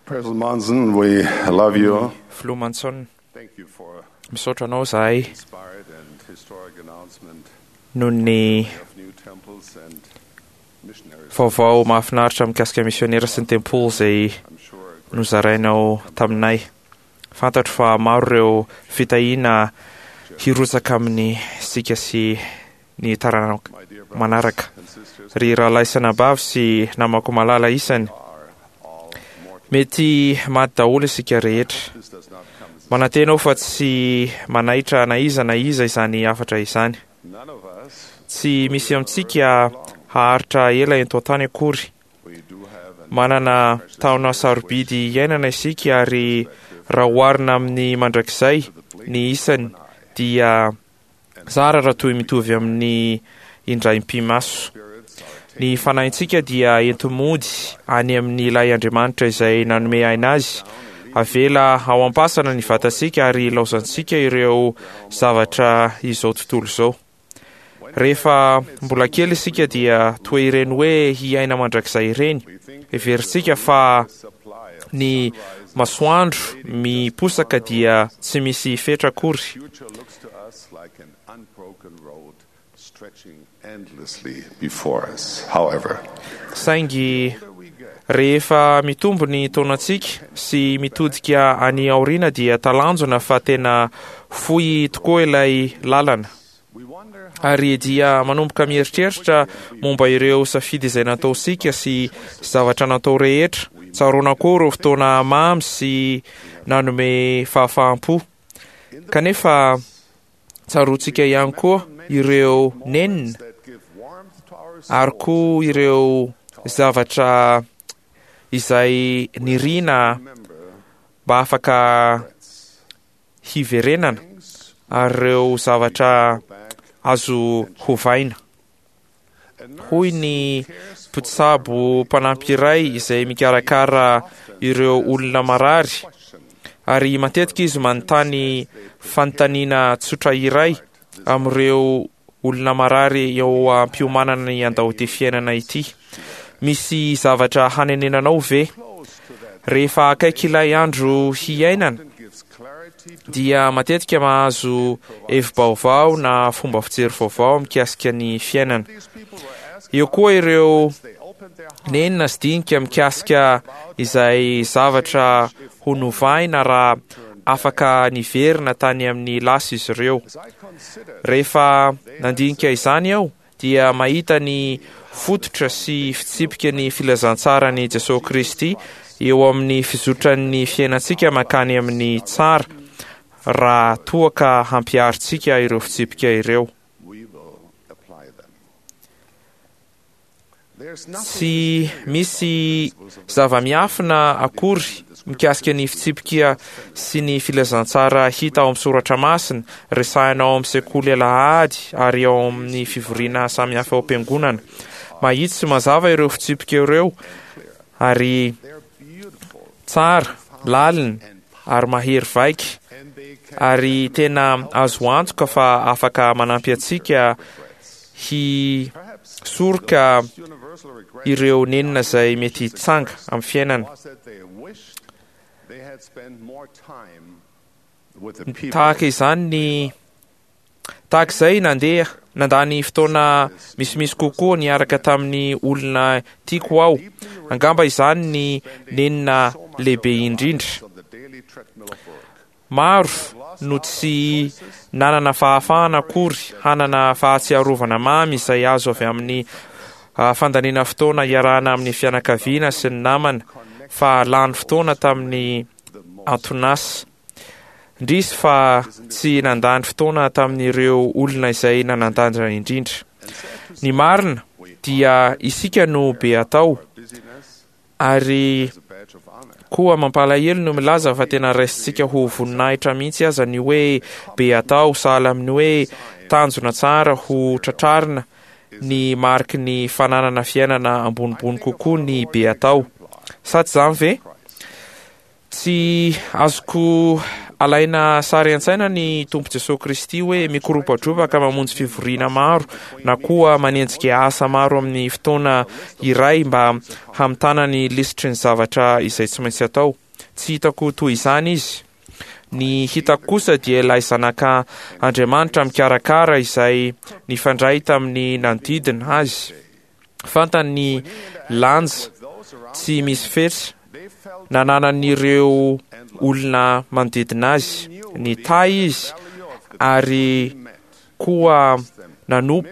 President Monson, we love you. Filoha Monson, Thank you for misaotra anao izahay inspired and historic announcement noho ny of new temples and missionaries. vaovao mahafinaritra mikasika misionera sy ny tempoly izay I'm sure nozarainao taminay. Fantatro fa maro ireo fitahiana hirotsaka amin'ny sika sy ny taranaka my dear brothers manaraka. and sisters Ry rahalahy sy anabavy sy namako malala isany, are all mortal. mety maty daholo isika rehetra. This does not come as a Manantena aho fa tsy manaitra na iza na iza izany hafatra izany. None of us, Tsy misy amintsika haharitra ela eto an-tany akory. we do have an Manana taona sarobidy iainana isika ary raha oharina amin'ny mandrakizay ny isany dia zara raha toy mitovy amin'ny indraim-pimaso. spirits are Ny fanahintsika dia enti-mody any amin'ilay Andriamanitra izay nanome aina azy. Avela ao am-pasana ny vatantsika ary ilaozantsika ireo zavatra izao tontolo izao. Rehefa mbola kely isika dia toa ireny hoe hiaina mandrakizay ireny. we think Heverintsika fa supply of ny masoandro miposaka dia tsy misy fetra akory. future looks to us like an unbroken road stretching endlessly before us. However, Saingy the older we get, rehefa mitombo ny taonantsika sy mitodika any aoriana dia talanjona fa tena fohy tokoa ilay lalana. we wonder how Ary dia manomboka mieritreritra momba ireo safidy izay nataontsika sy zavatra natao rehetra. Tsaroana koa ireo fotoana mamy sy nanome fahafaham-po. Kanefa tsaroantsika ihany koa ireo nenina that give warmth to our ary souls koa ireo zavatra izay niriana remember mba afaka regrets. hiverenana Things ary ireo zavatra go back. azo hovaina. A nurse Hoy ny cares for mpitsabo mpanampy iray izay mikarakara ireo olona marary question ary matetika izy manontany fanontaniana tsotra iray amin'ireo olona marary eo am-piomanana ny handao ity fiainana ity. Misy zavatra hanenenanao ve? close to that Rehefa akaiky ilay andro hiainana and gives clarity to dia matetika mahazo hevi-baovao na fomba fijery vaovao mikasika ny fiainana. these people were asked Eo koa ireo they opened their hearts nenina sy dinika mikasika izay zavatra ho novaina raha afaka niverina tany amin'ny lasa izy ireo. as I considered Rehefa nandinika izany aho dia mahita ny fototra sy fitsipika ny filazantsaran'i Jesosy Kristy eo amin'ny fizotran'ny fiainantsika mankany amin'ny tsara raha toa ka hampiharintsika ireo fitsipika ireo. we will apply them. There's nothing Tsy misy zava-miafina akory mikasika ny fitsipika sy ny filazantsara hita ao amin'ny soratra masina, resahina ao amin'ny sekoly alahady ary ao amin'ny fivoriana samihafa ao am-piangonana. Mahitsy sy mazava ireo fitsipika ireo ary they're beautiful tsara, lalina ary mahery vaika and they can ary tena azo antoka fa afaka manampy antsika perhaps hisoroka universal regret ireo nenina izay mety hitsanga amin'ny fiainana. was that they wished they had spent more time with the people Tahaka izany ny tahaka izay nandeha nandany fotoana misimisy kokoa niaraka tamin'ny olona tiako aho. Angamba izany ny nenina lehibe indrindra. on the daily treadmill of work. Maro no tsy nanana fahafahana akory hanana fahatsiarovana mamy izay azo avy amin'ny fandaniana fotoana iarahana amin'ny fianakaviana sy ny namana fa lany fotoana tamin'ny antonasa. Indrisy fa tsy nandany fotoana tamin'ireo olona izay nanan-danja indrindra. Ny marina dia isika no be atao Busyness ary is a badge of honor. koa mampalahelo no milaza fa tena raisintsika ho voninahitra mihitsy aza ny hoe be atao sahala amin'ny hoe tanjona tsara ho tratrarina ny mariky ny fananana fiainana ambonimbony kokoa ny be atao. Sa tsy izany ve? Tsy azoko Alaina sary an-tsaina ny Tompo Jesoa Kristy hoe mikoropatropaka mamonjy fivoriana maro na koa manenjika asa maro amin'ny fotoana iray mba hamitana ny lisitry ny zavatra izay tsy maintsy atao. Tsy hitako toy izany izy. Ny hitako kosa dia ilay Zanaka Andriamanitra mikarakara izay nifandray tamin'ny nanodidina azy. Fantany ny lanja tsy misy fetra nananan'ireo olona manodidina azy. Nitahy izy ary koa nanompo,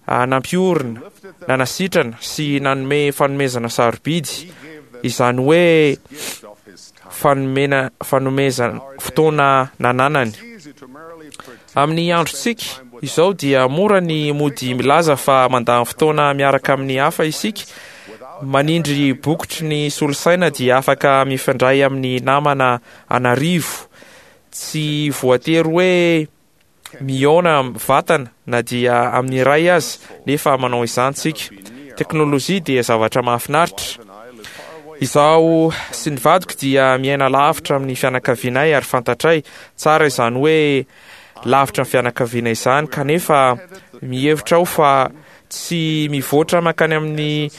nampiorina, nanasitrana sy nanome fanomezana sarobidy, izany hoe fanomena fanomezana fotoana nananany. Amin'ny androntsika izao dia mora ny mody milaza fa mandany fotoana miaraka amin'ny hafa isika. Manindry bokotry ny solosaina dia afaka mifandray amin'ny namana an'arivo. Tsy voatery hoe mihaona vatana na dia amin'ny iray aza nefa manao izany tsika. Teknolojia dia zavatra mahafinaritra. Izaho sy ny vadiko dia miaina lavitra amin'ny fianakavianay ary fantatray tsara izany hoe lavitra ny fianakaviana izany kanefa mihevitra aho fa tsy mivoatra mankany amin'ny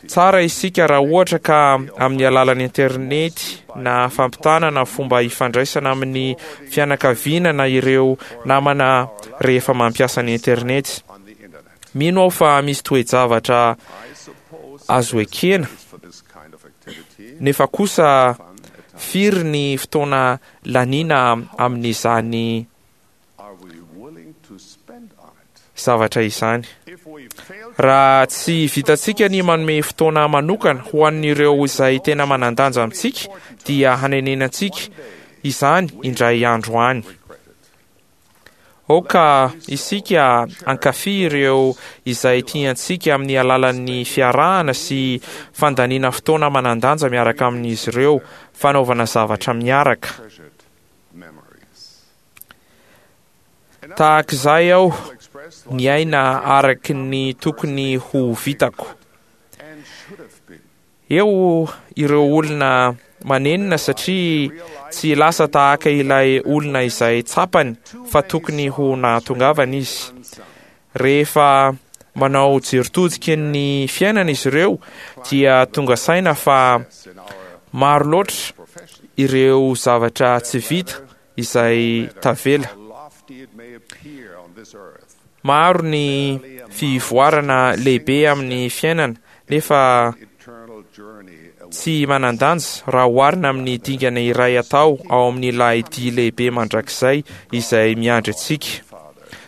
tsara isika raha ohatra ka amin'ny alalan'ny internety na fampitana na fomba ifandraisana amin'ny fianakaviana na ireo namana rehefa mampiasa ny internety. Mino aho fa misy toe-javatra azo ekena, nefa kosa firy ny fotoana laniana amin'izany zavatra izany. Raha tsy vitantsika ny manome fotoana manokana ho an'ireo izay tena manan-danja amintsika, dia hanenenantsika izany indray andro any. Aoka isika hankafy ireo izay tiantsika amin'ny alalan'ny fiarahana sy fandaniana fotoana manan-danja miaraka amin'izy ireo, fanaovana zavatra miaraka. Tahak'izay aho niaina araky ny tokony ho vitako. Eo ireo olona manenina satria tsy lasa tahaka ilay olona izay tsapany fa tokony ho nahatongavana izy. Rehefa manao jery todika ny fiainana izy ireo dia tonga saina fa maro loatra ireo zavatra tsy vita izay tavela. Maro ny fivoarana lehibe amin'ny fiainana nefa tsy manan-danja raha oharina amin'ny dingana iray atao ao amin'ilay dia lehibe mandrakizay izay miandry antsika.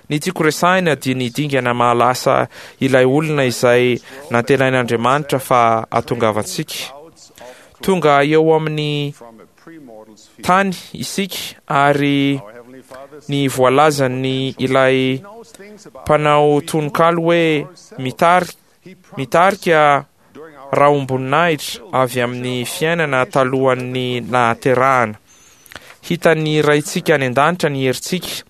Ny tiako resahina dia ny dingana mahalasa ilay olona izay nantenain'Andriamanitra fa hatongavantsika. Tonga eo amin'ny tany isika ary ny voalazan'ny ilay mpanao tononkalo hoe mitari mitarika rahom-boninahitra avy amin'ny fiainana talohan'ny nahaterahana. Hitan'ny Raintsika any an-danitra ny herintsika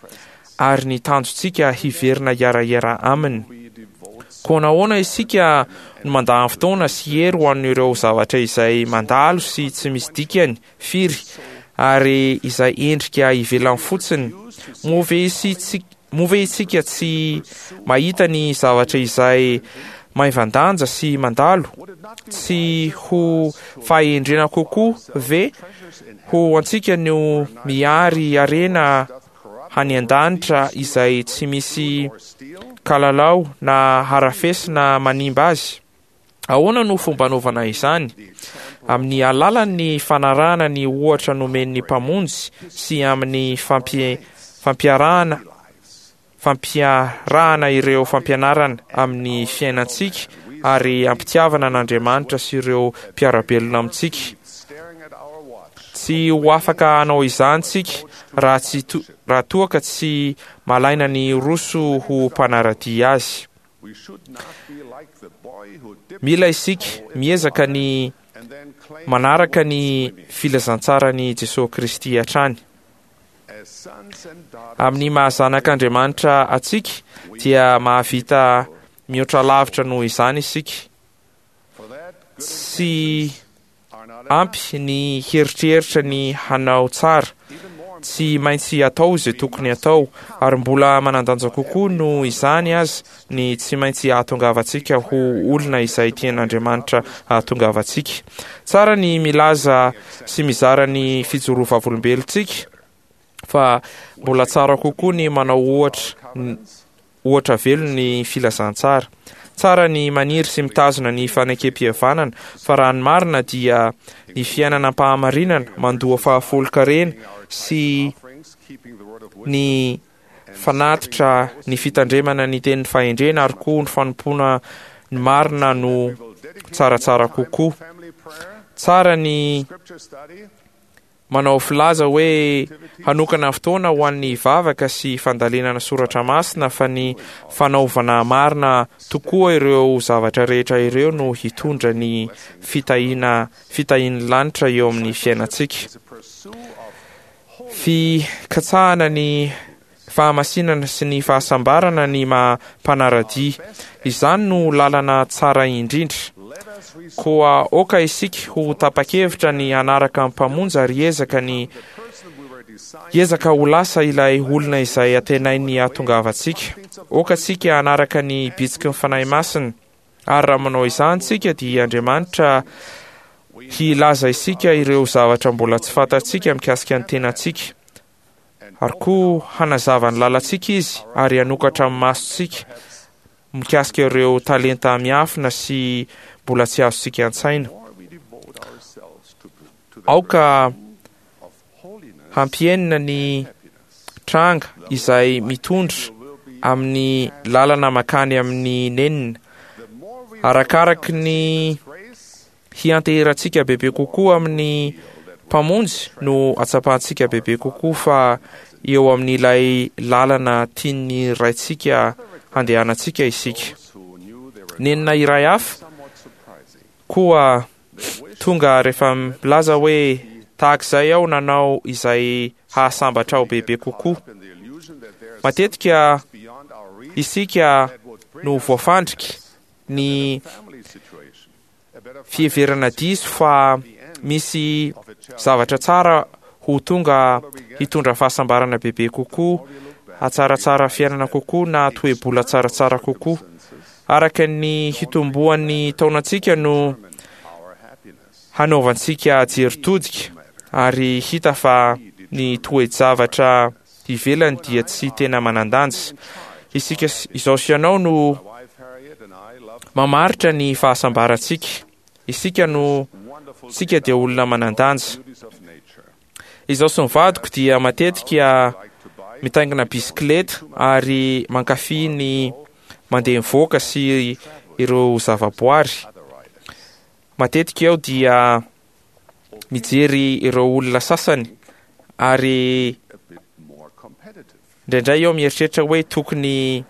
ary ny tanjontsika hiverina hiara-hiara aminy. Koa nahoana isika no mandany fotoana sy hery ho an'ireo zavatra izay mandalo sy tsy misy dikany firy ary izay endrika ivelany fotsiny? Moa ve isika, moa ve isika tsy mahita ny zavatra izay maivan-danja sy mandalo? Tsy ho fahendrena kokoa ve ho antsika no mihary harena any an-danitra izay tsy misy kalalao na harafesina manimba azy? Ahoana no fomba anaovana izany? Amin'ny alalan'ny fanarahana ny ohatra nomen'ny Mpamonjy sy amin'ny fampiarahana fampiarahana ireo fampianarana amin'ny fiainantsika ary am-pitiavana an'Andriamanitra sy ireo mpiara-belona amintsika. Tsy ho afaka hanao izany tsika raha tsy raha toa ka tsy malaina ny hiroso ho mpanara-dia Azy. Mila isika miezaka ny manaraka ny filazantsaran'i Jesoa Kristy hatrany. Amin'ny maha zanak'Andriamanitra antsika dia mahavita mihoatra lavitra noho izany isika. Tsy ampy ny hieritreritra ny hanao tsara. Tsy maintsy atao izay tokony atao, ary mbola manan-danja kokoa noho izany aza ny tsy maintsy hahatongavantsika ho olona izay tian'Andriamanitra hahatongavantsika. Tsara ny milaza sy mizara ny fijoroa vavolombelontsika, fa mbola tsara kokoa ny manao ohatra ohatra velona ny filazantsara. Tsara ny maniry sy mitazona ny fanekem-pihavanana, fa raha ny marina dia ny fiainana am-pahamarinana mandoa fahafolon-karena sy ny fanatitra, ny fitandremana ny tenin'ny fahendrena ary koa ny fanompoana ny marina no tsaratsara kokoa. Tsara ny Manao filaza hoe hanokana fotoana ho an'ny vavaka sy fandalinana soratra masina fa ny fanaovana marina tokoa ireo zavatra rehetra ireo no hitondra ny fitahiana fitahian'ny lanitra eo amin'ny fiainantsika. Fikatsahana ny fahamasinana sy ny fahasambarana ny maha mpanara-dia. Izany no lalana tsara indrindra. Koa aoka isika ho tapa-kevitra ny hanaraka ny Mpamonjy ary hiezaka ny hiezaka ho lasa ilay olona izay antenainy hahatongavantsika. Aoka tsika hanaraka ny bitsiky ny Fanahy Masina. Ary raha manao izany tsika dia Andriamanitra hilaza isika ireo zavatra mbola tsy fantatsika mikasika ny tenantsika. Ary koa hanazava ny lalantsika Izy ary hanokatra ny masontsika mikasika ireo talenta miafina sy mbola tsy azontsika an-tsaina. Aoka hampihenina ny tranga izay mitondra amin'ny lalana makany amin'ny nenina. Arakaraky ny hianteherantsika bebe kokoa amin'ny Mpamonjy no hatsapantsika bebe kokoa fa eo amin'ilay lalana tian'ny Raintsika handehanantsika isika. Nenina iray hafa koa tonga rehefa milaza hoe tahak'izay aho nanao izay hahasambatra aho bebe kokoa. Matetika isika no voafandriky ny fiheverana diso fa misy zavatra tsara ho tonga hitondra fahasambarana bebe kokoa, hatsaratsara fiainana kokoa na toe-bola tsaratsara kokoa. Araka ny hitomboan'ny taonantsika no hanaovantsika jery todika ary hita fa ny toe-javatra ivelany dia tsy tena manan-danja. Isika izao sy ianao no mamaritra ny fahasambarantsika. Isika no tsika dia olona manan-danja. Izaho sy ny vadiko dia matetika mitaingina bisikileta ary mankafy ny mandeha mivoaka sy ireo zavaboary. Matetika aho dia mijery ireo olona sasany ary indraindray aho mieritreritra hoe tokony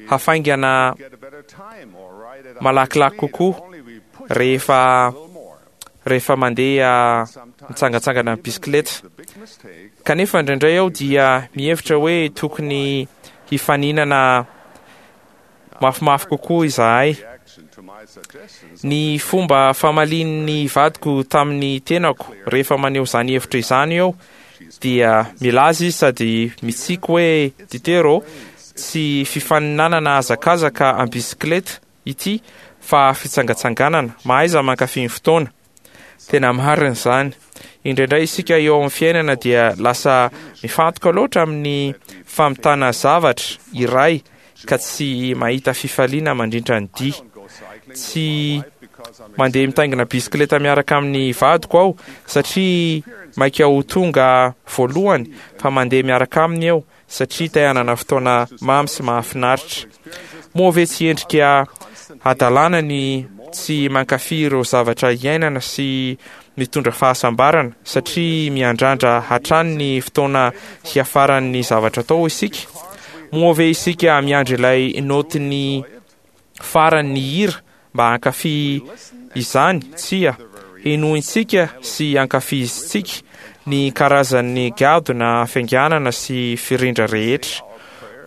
hafaingana malakilaky kokoa rehefa rehefa mandeha mitsangantsangana amin'ny bisikileta. Kanefa indraindray aho dia mihevitra hoe tokony hifaninana mafimafy kokoa izahay. Ny fomba famalian'ny vadiko tamin'ny tenako rehefa maneho izany hevitra izany eo dia milaza izy sady mitsiky hoe Ditero, tsy fifaninanana hazakazaka am-bisikileta ity fa fitsangatsanganana. Mahaiza mankafy ny fotoana. Tena marina izany. Indraindray isika eo amin'ny fiainana dia lasa mifantoka loatra amin'ny famitana zavatra iray ka tsy mahita fifaliana mandrindra ny dia. Tsy mandeha mitaingina bisikileta miaraka amin'ny vadiko aho satria maika ho tonga voalohany fa mandeha miaraka aminy eo satria te hanana fotoana mamy sy mahafinaritra. Moa ve tsy endrika hadalana ny tsy mankafy ireo zavatra iainana sy mitondra fahasambarana satria miandrandra hatrany ny fotoana hiafaran'ny zavatra atao isika? Moa ve isika miandry ilay naotin'ny farany ny hira mba hankafy izany? Tsia. Henointsika sy ankafizintsika ny karazan'ny gadona fianganana sy firindra rehetra.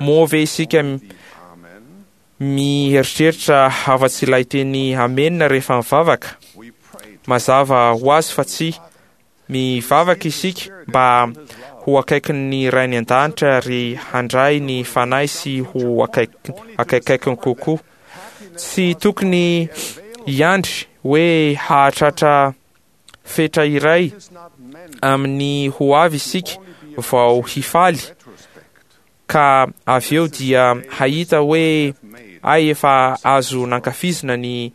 Moa ve isika. mieritreritra afa-tsy ilay teny amena rehefa mivavaka? Mazava ho azy fa tsia. Mivavaka isika mba ho akaikin'ny Ray any An-danitra ary handray ny Fanahy sy ho akaikikaikiny kokoa. Tsy tokony hiandry hoe hahatratra fetra iray amin'ny ho avy isika vao hifaly ka avy eo dia hahita hoe ay efa azo nankafizina ny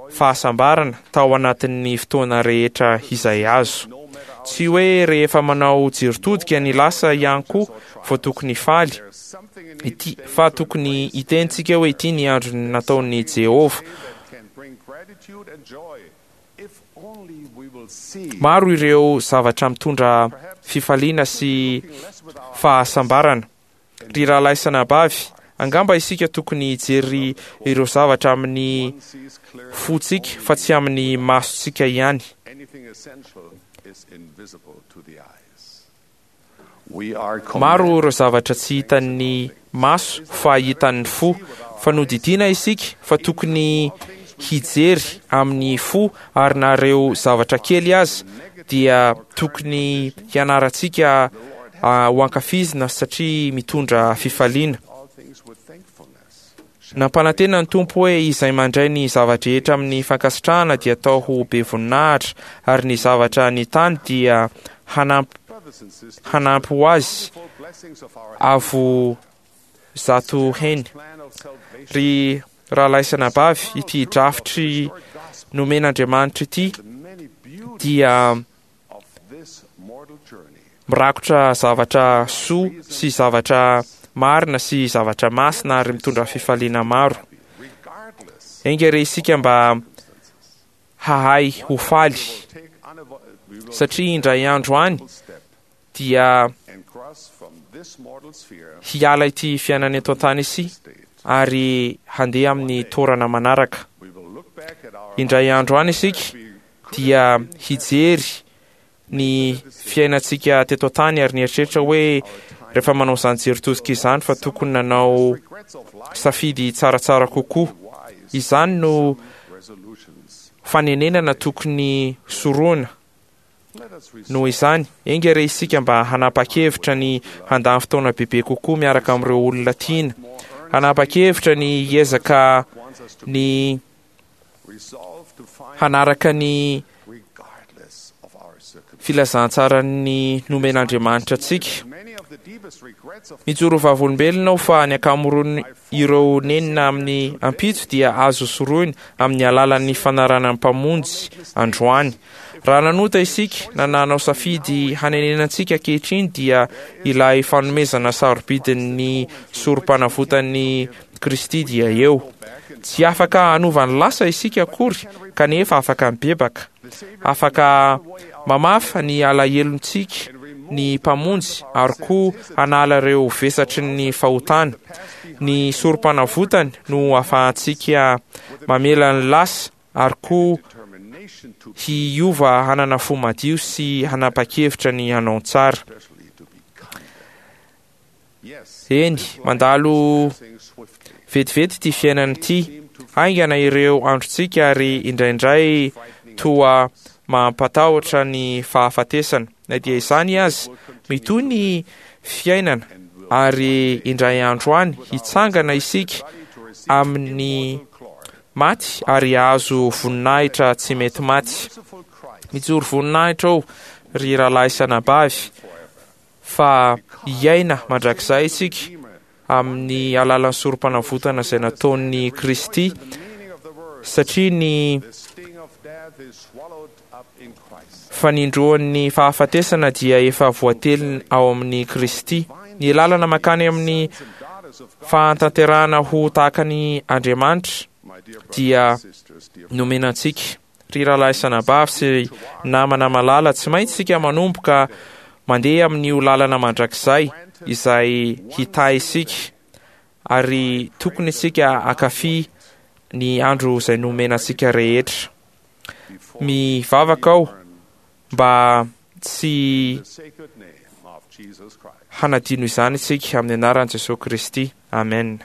fahasambarana tao anatin'ny fotoana rehetra izay azo. Tsy hoe rehefa manao jery todika ny lasa ihany koa vao tokony hifaly, ity, fa tokony hiteny tsika hoe ity ny andro nataon'i Jehovah. Maro ireo zavatra mitondra fifaliana sy fahasambarana. Ry rahalahy sy anabavy, angamba isika tokony hijery ireo zavatra amin'ny fontsika fa tsy amin'ny masontsika ihany. Maro ireo zavatra tsy hitan'ny maso fa hitan'ny fo. Fa nodidiana isika fa tokony hijery amin'ny fo ary na ireo zavatra kely aza dia tokony hianarantsika ho ankafizina satria mitondra fifaliana. Nampanantena ny Tompo hoe izay mandray ny zava-drehetra amin'ny fankasitrahana dia atao ho be voninahitra, ary ny zavatra ny tany dia hanampy hanampy ho azy avo zato heny. Ry rahalahy sy anabavy, ity drafitry nomen'Andriamanitra ity dia Mirakotra zavatra soa sy zavatra marina sy zavatra masina ary mitondra fifaliana maro. Enga re isika mba hahay ho faly satria indray andro any dia hiala ity fiainana eto an-tany ity ary handeha amin'ny toerana manaraka. Indray andro any isika dia hijery ny fiainantsika teto an-tany ary nieritreritra hoe rehefa manao izany jery tosika izany fa tokony nanao safidy tsaratsara kokoa. Izany no fanenenana tokony sorohina. Noho izany, enga re isika mba hanapa-kevitra ny handany fotoana bebe kokoa miaraka amin'ireo olona tiana, hanapa-kevitra ny hiezaka ny hanaraka ny filazantsaran'ny nomen'Andriamanitra antsika. Mijoro vavolombelona aho fa ny ankamaroan'ireo nenina amin'ny ampitso dia azo sorohina amin'ny alalan'ny fanarahana ny Mpamonjy androany. Raha nanota isika na nanao safidy hanenena antsika ankehitriny dia ilay fanomezana sarobidin'ny sorom-panavotan'i Kristy dia eo. Tsy afaka hanova ny lasa isika akory kanefa afaka mibebaka. Afaka mamafa ny alahelontsika ny Mpamonjy ary koa hanala ireo vesatry ny fahotana. Ny sorom-panavotany no ahafahantsika mamela ny lasa ary koa hiova hanana fo madio sy hanapa-kevitra ny hanao ny tsara. Eny, mandalo vetivety ity fiainana ity. Haingana ireo androntsika ary indraindray toa mampatahotra ny fahafatesana. Na dia izany aza, mitohy ny fiainana ary indray andro any hitsangana isika amin'ny maty ary hahazo voninahitra tsy mety maty. Mijoro voninahitra aho, ry rahalahy sy anabavy, fa hiaina mandrakizay isika amin'ny alalan'ny sorom-panavotana izay nataon'i Kristy, satria ny fanindroan'ny fahafatesana dia efa voateliny ao amin'i Kristy. Ny lalana mankany amin'ny fahatanterahana ho tahaka ny Andriamanitra dia nomena antsika. Ry rahalahy sy anabavy sy namana malala, tsy maintsy isika manomboka mandeha amin'io lalana mandrakizay izay hitahy isika, ary tokony isika hankafy ny andro izay nomena antsika rehetra. Mivavaka aho mba tsy hanadino izany isika amin'ny anaran'i Jesoa Kristy. Amen.